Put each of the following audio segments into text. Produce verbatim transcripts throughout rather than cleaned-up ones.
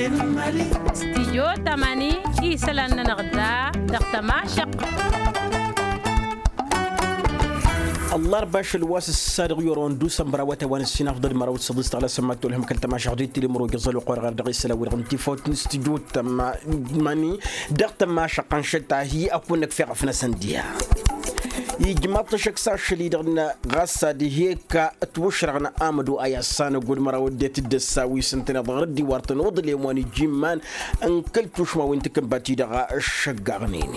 Stijyo tamani isălan-nănăɣ da dăɣ-tămašăq. Ăllarba ašăl wa s-ăssadăɣ i-oron d-usănbăr a-wa t-a-wa n-ǝssin afḍăl măraw d-săḍis tăɣlasăn ma t-olhăm kăl-tămašăq d-itili măroj ăẓăl oqor ɣar dăɣ-isălan-wi-dăɣ n-tifawt n-stijyo tamani dăɣ-tămašăq ănšăt-ahi ăkun-năkfeɣ ăfnăsăn diha. Ijmaḍ-t ăššăk s-ašăl-i-dăɣ ɣas ad-ih'-e-k ătwǝšrăɣ n-amădu a i-assanăgod măraw ăddinăt d-ăssa wi s-ǝntăneḍ ɣur-dd iwar tănuḍlem wa n-ijimman n-kăl-tušma wi n-takǝnbat-i-dăɣ ăššăggaɣnen.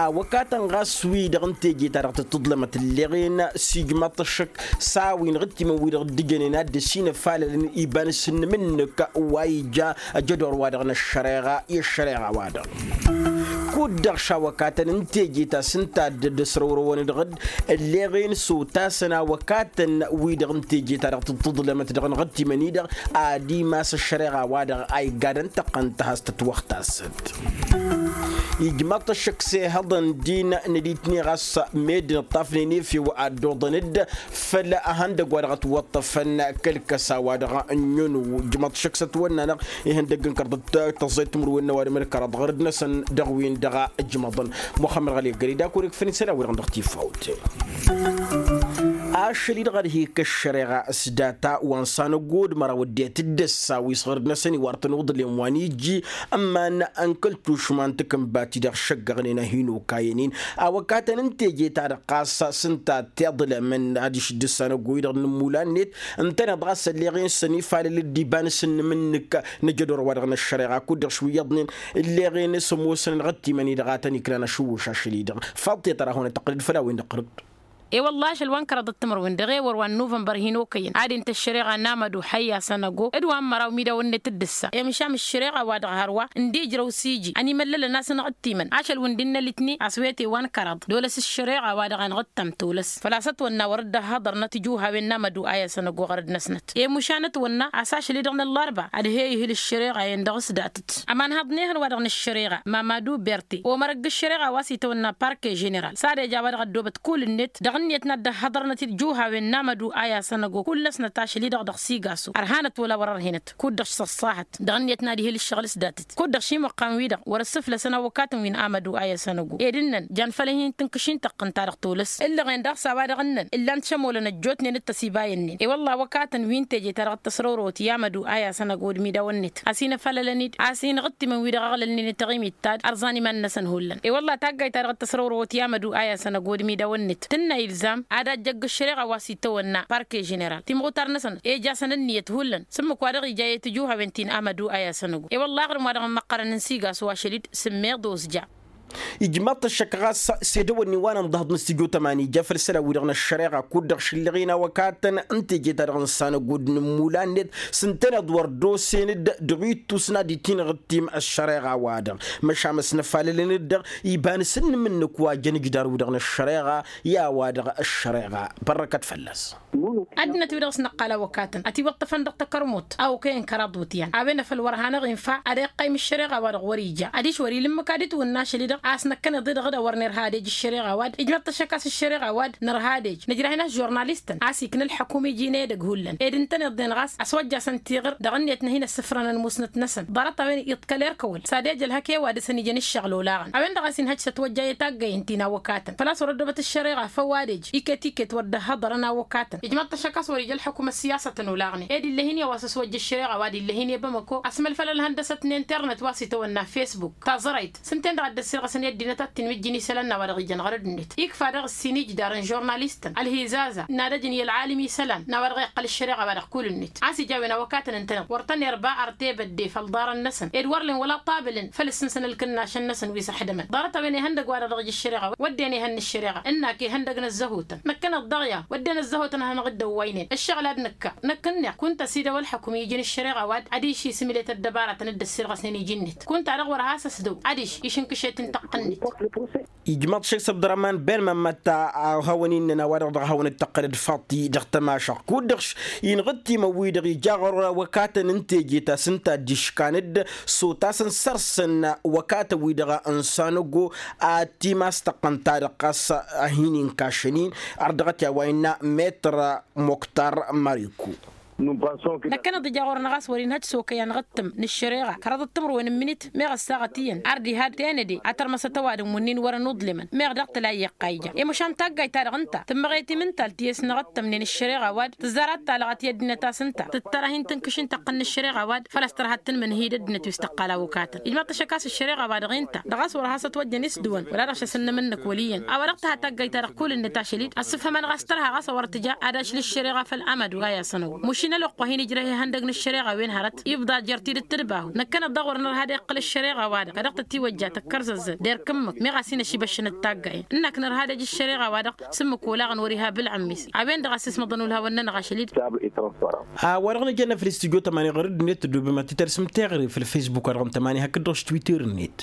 Awăkatăn ɣas wi-dăɣ n-teje-ta-dăɣ tǝttǝḍlămăt ǝlleɣen s-ijmaḍ-t ăššăk s-a-wen ɣǝttimăn wi-dăɣ dd-ǝjănen ad-dd-ăsinăfalălăn iba n-asǝnnǝm-nǝk wa ija ăjădor-wa-dăɣ n-ăššăreɣa i-ăššăreɣa-wa-dăɣ. Kud-dăɣ šawăkatăn n-teje ta s-ǝnta a dd-ăsrăwrăwăn dăɣ-dd ălleɣen s-otasăn awăkatăn wi-dăɣ n-teje ta dăɣ-tǝḍlămăt dăɣ-năɣ ăttimăn-i-dăɣ ad-imas ăššăreɣa-wa-dăɣ a iggadăn tăqqăn tăhas tătwăxtasăt. Ijmaḍ-t ăššăk s-ehăḍăn din n-ad-itni ɣas meddǝn ǝṭṭafnen efew ad-dd-oḍăn-dd făll-ehăndăgg wa dăɣ-ătwăṭṭăfăn kăl-kăsa wa dăɣ-ănnunuw. Ǝjmăḍ šăkk s-ătwănna-năɣ ihăndăgg n-kăraḍ d-tăẓẓăyt timǝrwen n-ăwadǝm d-kăraḍ ɣur-dd-năsăn dăɣ-win-dăɣ a ǝjmăḍăn. Muxămmăd ɣăli ăggări d-akor ikfăn isălan-wi-dăɣ dăɣ-tifawt. Ašăl-i-dăɣ ad-hi-kăššăreɣa s-data wa n-sanăgod măraw ăddinăt d-ăssa wi s-ɣur-dd-năsăn iwar tănuḍlem wa n-iji ǝmman n-kăl-tušma n-takǝnbat-i-dăɣ šăggăɣnen a hin-okayăn-in. Awăkatăn n-teje-ta-dăɣ ɣas s-ǝnta tiḍlămăn adiš dd-ăssanăgo-i-dăɣ n-ǝmmulan-net ǝntăneḍ ɣas ălleɣ-in s-ănifalăl-dd iba n-asǝnnǝm-nǝk n-ajădor-wa-dăɣ n-ăššăreɣa kud-dăɣ šwǝyyăḍnen ǝlleɣ-in s-ămoosăn ănɣăt timăn-i-dăɣ a tăn-iknan ašǝwwǝš ašăl-i-dăɣ. Faḍt i-tăra hawăn-ăttăqqǝlăd făll-a-wen-dăɣ ɣărăt. E-wălla ašăl wa n-kăraḍăt timǝrwen dăɣ-ewăr wa n-nuvănbăr hin-okăyăn ad-inta ăššăreɣa n-amădu ăhăyy a sănăgo d-wa n-măraw imidawăn-net d-ǝssa i-măšan ăššăreɣa-wa-dăɣ hărwa ǝndijrăw s-iji ănimăllălăn a-s ănɣăt timăn ašăl wi n-dd-innă litni a-s wete wa n-kăraḍ d-olăs ăššăreɣa-wa-dăɣ a ănɣăt tamtăwlăs. Făl-a-s ătwănna wăr dd-ăhhăḍărnăt tijuhawen n-amădu a i-asănăgo ɣărăd-năsnăt i-mušan ătwănna a-s ašăl-i-dăɣ n-ăllarba ad-he-ihǝl ăššăreɣa-en dăɣ-s datăt. Ămanhăḍ n-ehăn wa dăɣ-nǝššăreɣa mamadu berte omărăgg ăššăreɣa wa s-itawănna parke ženeral s-ad-eja wa dăɣ-ăddoobăt kull-net dăɣ-ǝnniyăt n-ad-dd-ăhhăḍărnăt tijuhawen n-amădu a i-asănăgo kull-năsnăt ašăl-i-dăɣ dăɣ-sigaso ărhanăt wăla wăr-ărhenăt. Kud-dăɣ s-ăṣṣahăt dăɣ-ǝnniyăt n-ad-ihǝl ǝššăɣǝl s-datăt kud-dăɣ šimăqqan-wi-dăɣ wăr-ăssǝflăsăn awăkatăn wi n-amădu a i-asănăgo ed ǝnnăn jan făll-hin-tǝnkǝšin tăqqǝn-ta-dăɣ tolăs. Ǝllăɣen daɣ s-a-wa-dăɣ ǝnnăn ǝllan šămolăn ăjjootnen d-tăsibayăn-nin i-wălla awăkatăn wi n-teje-ta-dăɣ t-ăsrăwrăwăt i-amădu a i-asănăgo d-imidawăn-net a-s inăfalălăn-dd a-s inɣǝttimăn wi-dăɣ ăɣlălnen i-taɣimit ta d-ărẓan iman-năsăn hullan i-wălla taggayt-ta-dăɣ t-ăsrăwrăwăt i-amădu a i-asănăgo d-imidawăn-net tǝnna ilzam ad-ajjăgg ăššăreɣa wa s-itawănna parke ženeral timɣutar-năsăn ejasăn ǝnniyăt hullan s-ǝmmǝk wa dăɣ-ija i-tijuhawen ti n-amădu a i-asănăgo i-wălla aɣrǝm wa dăɣ-ămmăqqărăn n-sigaso ašăl-dd sǝmmeḍ ozja. Ijmaḍ-t ăššăk ɣas s-edăwănni wa n-ănḍăhăḍ n-astijju tămani ja făll-isălan-wi-dăɣ n-ăššăreɣa kud-dăɣ šǝllăɣ-in awăkatăn n-teje-ta-dăɣ n-sanăgod n-ǝmmulan-net s-ǝntăneḍ wăr dd-osen-dd dăɣ-ittus n-ad-itinɣǝttim ăššăreɣa-wa-dăɣ măšan ăsnăfalălăn-dd dăɣ-i iba n-asǝnnǝm-nǝk wa jăn ǝjdar-wi-dăɣ n-ăššăreɣa i-a-wa-dăɣ ăššăreɣa. Bărrăkăt fălla-s. Ăddinăt-wi-dăɣ s-năqqal awăkatăn ătiwăṭṭăfăn dăɣ-takărmut a okăyăn kăraḍ wǝtyan a-wen afăl wăr hanăɣ-infa ad-iqqăym ăššăreɣa-wa-dăɣ wăr-ija adiš wăr-ila ǝmmǝk ad-itwǝnna ašăl-i-dăɣ a-s năkkăneḍ-i-dăɣ d-a wăr nerha ad-ej ăššăreɣa-wa-dd ijmăḍ-t ăššăk a-s ăššăreɣa-wa-dd nărha ad-ej nǝjrah-in a-s žurnalistăn a-s ikna ălḥăkum iji n-edăgg hullan ed ǝntăneḍ-den ɣas ăswăjjasăn tiɣǝr dăɣ-ǝnniyăt n-ad-hin-ăssǝfrănăn musnăt-năsăn ḍarăt-a-wen iḍkăl erk ăwăl s-ad-ej ălhăk i-ăwadǝs ănijăn ǝššăɣǝl olaɣăn a-wen-dăɣ a-s inhăj s-ătwăjja i-taggăyen ti n-awăkatăn făl-a-s wăr-ăddoobăt ăššăreɣa făw ad-ej iket-iket wăr dd-ăhhăḍărăn awăkatăn ijmăḍ-t ăššăk a-s wăr-ija ălḥăkum ăssiyasătăn olaɣnen ed ill'-e-hin i-a-wa s-ăswăjja ăššăreɣa wa d-ill'-e-hin i-bamăko asmălfăl ălhăndăsăt n-internet wa s-itawănna facebook taẓrăyt s-ǝnta-en-dăɣ a dd-ăssirɣăsăn i-ăddinăt ad-t-inmǝjjǝn isălan n-a-wa dăɣ-ijăn ɣărăd-net ikfa daɣ ǝssin ijdar n-žurnalistăn ălhizaza n-ad-ăjǝn i-ălɣalim isălan n-a-wa dăɣ-iqqăl ăššăreɣa wa dăɣ-kull-net a-s ija a-wen awăkatăn ǝntăneḍ wăr tăn-irba ărtebădde făll-iḍarăn-năsăn ed wăr len wăla ṭabǝlăn făll-ǝssǝnsăn ǝlkǝnnašăn-năsăn wi s-ăxdămăn ḍarăt-a-wen ihăndăg wa dăɣ-dăɣ ija ăššăreɣa wădden ihăn n-ăššăreɣa ǝnnak ihăndăg n-ăzzăhutăn năkk-năɣ dăɣ-i-a wădden ăzzăhutăn ad-hanăɣ-dd-ăwwăynen ăššăɣǝl ad-nǝkka năkk ǝnneɣ kunta s-idăw ălḥăkum iji n-ăššăreɣa wa-dd ad-iši s-imǝlet ăddăbaratăn dd-ăssirɣăsnen iji-net kunta-dăɣ wăr has-ăsdăw ad-iši išǝnkǝšet n-tăqqǝn-net. Ijmăḍ šek s-abdărăman ben mămmătta a hawăn-innăn a-wa-dăɣ dăɣ-hawăn-dd-tăqqălăd faḍt-i dăɣ-tămašăɣt kud-dăɣ inɣǝttimăn-wi-dăɣ ija ɣur-awăkatăn n-teje ta s-ǝnta a dd-iškan-dd s-otasăn săr-săn wăkatăn-wi-dăɣ n-sanăgo ad-t-imas tăqqăn-ta-dăɣ ɣas a hin-inkašăn-in. Ărdăɣăt i-a-wa innă metr moktar mariku. Năkkăneḍ ija ɣur-năɣ a-s wăr-inhăj s-okăy anɣǝttǝm n-ǝššăreɣa kăraḍăt timǝrwen n-imǝnit meɣ ăssaɣăt iyyăn. Ar diha tenăde a tărmăsăt ăwadǝm wǝnnin wărăn uḍlǝmăn meɣ dăɣ-tălayy iqqayja i-măšan taggayt-ta-dăɣ ǝnta tǝmmăɣet imǝntal ti ăsnăɣăttămnen ǝššăreɣa wa-dăɣ tǝzzar ad-talăɣăt i-ăddinăt a-s ǝnta tǝttărăh-in tǝnkǝš n-tăqqǝn n-ǝššăreɣa wa-dăɣ făl-a-s tărha d-tǝnmǝnhǝy d-ăddinăt wi s-tăqqal a-wăkatăn ijmaḍ-t ăššăk a-s ǝššăreɣa wa-dăɣ-i ǝnta dăɣ-a-s wăr has-ătwăjjăn isdǝwăn wăla dăɣ-s asǝnnăm-năk wăl' iyyăn a-wa dăɣ-tǝha taggayt-ta-dăɣ kull-net ašăl-dd ăssǝfhămăn ɣas tărha ɣas a wăr tǝja ad-ašǝl ǝššăreɣa făll-amădug a i-asănăwăn mušin ălwăqq wa hin-ijrăh ihăndăg n-ǝššăreɣa wen hărăt ifḍa jer-tidǝt tǝdbahu năkkăneḍ-dăɣ wăr nărha ad-iqqǝl ǝššăreɣa-wa-dăɣ a dăɣ-tătiwăjja tăkkărzăzzăn d-erk ǝmmǝk meɣ a-s hin-ăšibăššăn d-taggayăn ǝnnak nărha ad-ăj ǝššăreɣa-wa-dăɣ s-ǝmmǝk olaɣăn wăr-iha bǝlɣǝm-is a-wen-dăɣ a-s ismăḍăn ulhawăn-nănăɣ ašăl-dd. Tabăl i-transparans. A-wa-dăɣ nǝjănna făll-istudyo tămani ɣur-dd-net tăddoobem ad-t-tărsǝm teɣăre făll-faysbuk-wa-dăɣ n-tămani hakd-dăɣ s-twitter-net.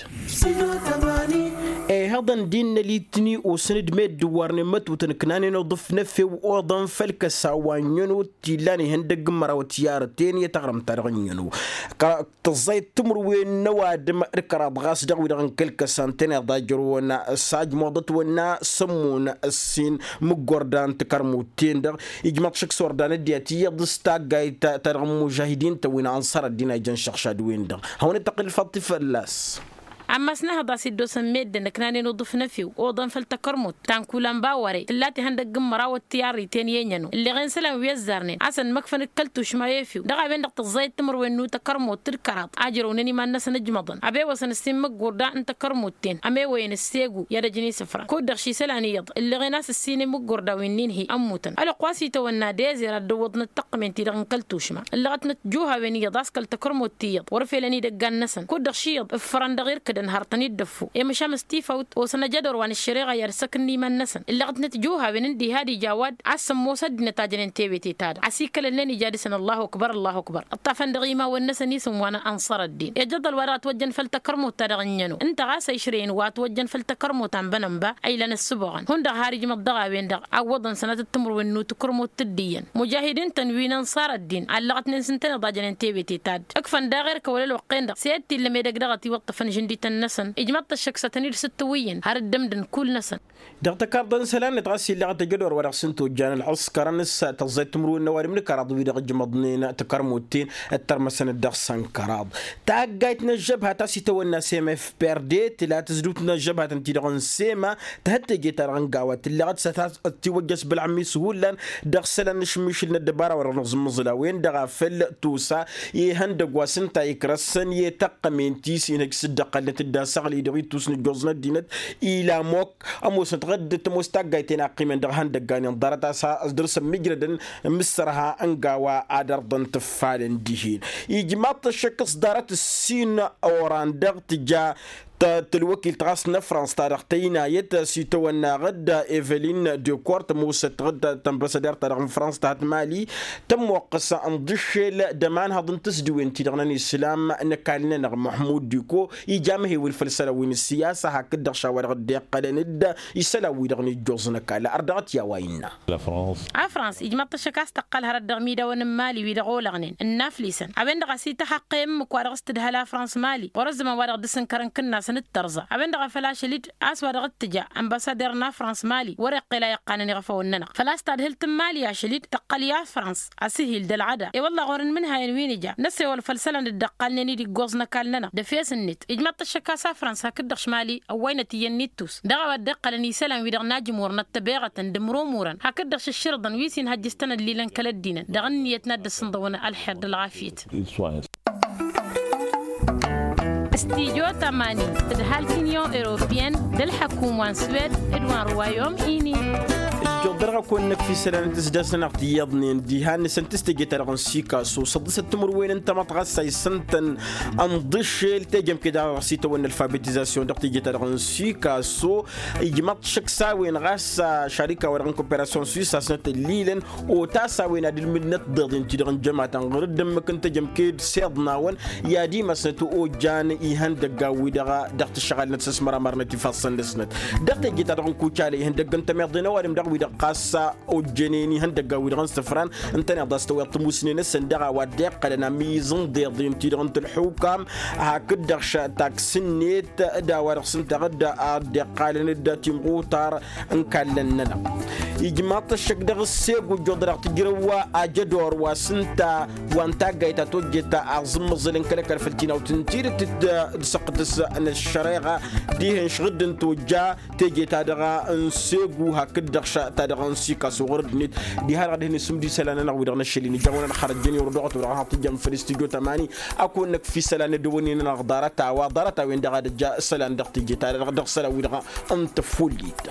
Ehăḍăn d-innă litni osăn-dd meddǝn wa ărnen mătutăn ǝknanen uḍǝf n-efew oḍăn făll-kăsa wa n-iyyăn ot t-illan ihăndăgg n-măraw tiyyarăten i-taɣrǝmt-ta-dăɣ n-iyyăn o. Tăẓẓayăt timǝrwen n-ăwadǝm d-kăraḍ ɣas dăɣ-wi-dăɣ n-kăl-kăsa ǝntăneḍ a ǝjrăwăn s-ajmuḍăt wănna sămmun ǝssin mǝggordan takărmut-ten-dăɣ. Ijmăḍ šăkk s-ordan ăddiyăt iyyăḍ s-taggayt ta dăɣ-mužahidin-tăn wi n-ansar ăddin a ijăn šăɣšad-wen-dăɣ hawăn-dd-tăqqǝl făll-tifăllas. Ammas n-ehăḍ a-s dd-osăn meddǝn ǝknanen uḍǝf n-efew oḍăn făll-takărmut ta n-kulan bawăre tǝllat ihăndăgg n-măraw ăttiyarriten i-enyăn-o ǝlleɣen isălan wi ăzzarnen a-s ănmăkfăn d-kăl-tušma i-efew dăɣ-a-wen-dăɣ tǝẓẓayăt timǝrwen n-utakărmut d-kăraḍ a ǝjrăwnen iman-năsăn ǝjmăḍăn ăbewăsăn ǝssin mǝggurda n-takărmut-ten ămewăyăn ǝssegu i-ad-ăjăn isǝfra kud-dăɣ šisălan iyyăḍ ǝlleɣen a-s ǝssin imǝggurda wi n-inhi ămmutăn ălwăqq wa s-itawănna dezer ad-dd-ǝwwăḍnăt tăqqǝment-i-dăɣ n-kăl-tušma ǝllăɣătnăt juhawen iyyăḍ a-s kăl-takărmut ti iyyăḍ wăr felăn idăggan-năsăn kud-dăɣ ši iyyăḍ ǝffărăn dăɣ-irkǝdăn hărtăn-dd ăffu i-măšan s-tifawt osăn ajădor wa n-ăššăreɣa i-ad-săk-ǝnna iman-năsăn ǝllăɣătnăt juhawen ǝndiha d-ija ăwad a-s sămmos ăddinăt a jănen tewete-ta-dăɣ ăsikălălnen ija dăɣ-săn ăllahu ăkbăr ăllahu ăkbăr ǝṭṭafăn dăɣ-iman-wăn-năsăn isǝm wa n-anṣăr ăddin i-ajăḍăl wa dăɣ-ătwăjjăn făll-takărmut-ta-dăɣ ǝnjăn-o ǝnta ɣas ăyšrăyăn wa ătwăjjăn făll-takărmut ta n-bănănba a ilăn ăssǝboɣăn hundăɣ har ijmăḍ dăɣ-a-wen-dăɣ a ǝwwăḍăn sănatăt timǝrwen n-utukǝrmut d-iyyăn mujahidin-tăn wi n-anṣar ăddin a ǝllăɣătnen s-ǝntăneḍ a jănen tebete ta-dd ǝkfăn daɣ erk ăwăl ălwăqq-en-dăɣ s-e-dd t-illăm edăgg dăɣ-ătiwăṭṭăfăn žǝndităn-năsăn ijmăḍ-t ăššăk s-ad-tăn-id-sǝttǝwǝyyăn har dd-ǝmdǝn kull-năsăn. Dăɣ-tăkarḍa n-isălan-net ɣas illăɣăt ajădor wa dăɣ-s n-tojjan ălɣǝskărăn s-tăẓẓayt timǝrwen n-ăwadǝm n-kăraḍ wi-dăɣ ǝjmăḍnen takărmut-ten ǝttărmăsăn-dd dăɣ-săn kăraḍ. Taggayt n-ăžžăbhat a-s itawănna s-emef perde tǝla tǝzdǝwt n-ăžžăbhatăn-ti-dăɣ n-sema tǝhăt teje-ta-dăɣ n-gawa tǝlleɣăt s-ad-tiwăjjăš bălɣămis hullan dăɣ-isălan n-ašmišǝl n-ăddăbara wa dăɣ-nǝẓǝmmǝẓǝl a-wen-dăɣ a făl tosa ihăndăgg wa s-ǝnta ikrăssăn i-taqqămen-ti s-inhăj s-dd-ăqqălnăt-dd asăɣli dăɣ-ittus n-ǝjjoẓ n-ăddinăt ila ămook ămoosnăt ɣǝdd tămoos taggayt-en a ăqqimen dăɣ-ihăndăggan inḍarăt a-s ăsdăr-săn mǝjrădăn mǝssărha n-gawa ad-ărḍăn tǝffalăn dihen. Ijmaḍ-t ăššăk s-ḍarăt ǝssin oran dăɣ-tǝja tălwăkilt ɣas n-ăfrans ta dăɣ-tăynayăt s-itawănna ɣǝd evelin dekor tămoosăt ɣǝd tănbăsăder ta dăɣ-n frans ta hăt mali tămmoqqăs ǝnḍǝššel d-ămanhăḍ n-tǝsdǝwen-ti-dăɣ n-ănislam n-ăkall-nănăɣ măhmud diko ija amhewǝl făll-isălan wi n-ǝssiyasa hakd-dăɣ šawa-dăɣ dd-iqqălăn-dd isălan-wi-dăɣ n-ijjoẓ n-ăkall ărdăɣăt i-a-wa innă. Afrans ijmăḍ-t ăššăk a-s tăqqăl hărăt dăɣ-imidawăn n-mali wi-dăɣ olăɣnen ǝnnaflisăn a-wen-dăɣ a-s ităhăqqe ǝmmǝk wa dăɣ-s tǝdhăl afrans mali ɣur-ăzzăman wa dăɣ-dăr-s ǝnkărăn kǝnnasăn d-tărẓa a-wen-dăɣ a făl ašăl-dd a-s wa dăɣ-t tǝja ănbăsader n-afrans mali wăr-iqqel a iqqanăn iɣăfăwăn-nănăɣ făl-a-s tadhǝlt n-mali ašăl-dd tăqqăl i-afrans asǝhil d-ălɣăda i-wălla ɣur-inmǝnhayăn wi n-ija năsewăl făll-isălan dd-ăqqalnen-dd iggoẓ n-ăkall-nănăɣ d-efes-net ijmăḍ-t ăššăk a-s afrans hakd-dăɣ šmali ăwwaynăt iyyăn n-ittus dăɣ-a-wa dd-iqqălăn isălan wi-dăɣ n-ajmurăn ăttăbeɣătăn d-imrumurăn hakd-dăɣ šǝššǝrǝḍăn wi s-inhăjjǝstăn ăllilăn kăl-ăddinăn dăɣ-ǝnniyăt n-ad-dd-ăssǝnḍăwăn ălxer d-ălɣafyăt. Studyo tămani tǝdhal t-inyon europiyăn d-ălḥăkum wa n-swed d-wa n-ruwayom ini. Ǝjjoḍ dăr-ɣăkk-wăn-năkf isălan n-tǝsdasăn-anăɣ tiyyăḍnen diha-năsăn tǝstăje-ta-dăɣ n-sikaso săḍḍǝsăt timǝrwen n-tamăḍt ɣas a isǝntăn ănḍǝššel tejămke daɣ dăɣ-s itawănna ălfabetizasyon dăɣ-teje-ta-dăɣ n-sikaso. Ijmăḍ šăkk s-a-wen ɣas šarika-wa-dăɣ n-koperasyon swis a-s nătăllilăn otas a-wen ad-ǝlmǝdnăt tiḍeḍen-ti-dăɣ n-jămatăn ɣur-dd ǝmmǝk n-tejămke d-siḍnawăn i-ad-imasnăt ojjan ihăndăggan-wi-dăɣ dăɣ-tǝšɣalnăt s-ăsmăramarnăt ifassăn-năsnăt. Dăɣ-teje-ta-dăɣ n-kucala ihăndăgg n-tămiḍe n-ăwadǝm dăɣ-wi-dăɣ ɣas ojjănen ihăndăggan-wi-dăɣ n-isǝfran. Ǝntăneḍ a-s tăwweḍ tamusne-năsăn dăɣ-a-wa dd-iqqălăn amiz n-iḍeḍen-ti-dăɣ n-tǝlḥukam hakd-dăɣ taksǝnnet d-a-wa dăɣ-s ǝnta ad-dd-iqqalăn d-timɣutar n-kallăn-nănăɣ. Ijmaḍ-t ăššăk dăɣ-ǝssegu ǝjjuḍănăɣ tǝjrăw ajădor wa s-ǝnta wa n-taggayt ta tojjet aẓǝmmăẓǝl n-kăl-ăkall făll-tinawt n-tidǝt d-săqtǝs n-ăššăreɣa dihen šɣǝd n-tojja teje-ta-dăɣ n-segu hakd-dăɣ ta-dăɣ n-sikas oɣăr ăddinăt. Diha-dăɣ ad-hin-isǝmdǝy isălan-nănăɣ-wi-dăɣ n-ašăl-in ija-wăn ad-xărăjjăn i-wăr dăɣ-t-wăr-dăɣ ad-hanăɣ-tǝjjăm făll-istudyo tămani. Ad-kăwăn-năkf isălan n-ad-ăwwănen-nănăɣ ḍarăt-a-wa ḍarăt-a-wen-dăɣ ad-ăjja isălan dăɣ-teje-ta-dăɣ dăɣ-isălan-wi-dăɣ n-tăfullit.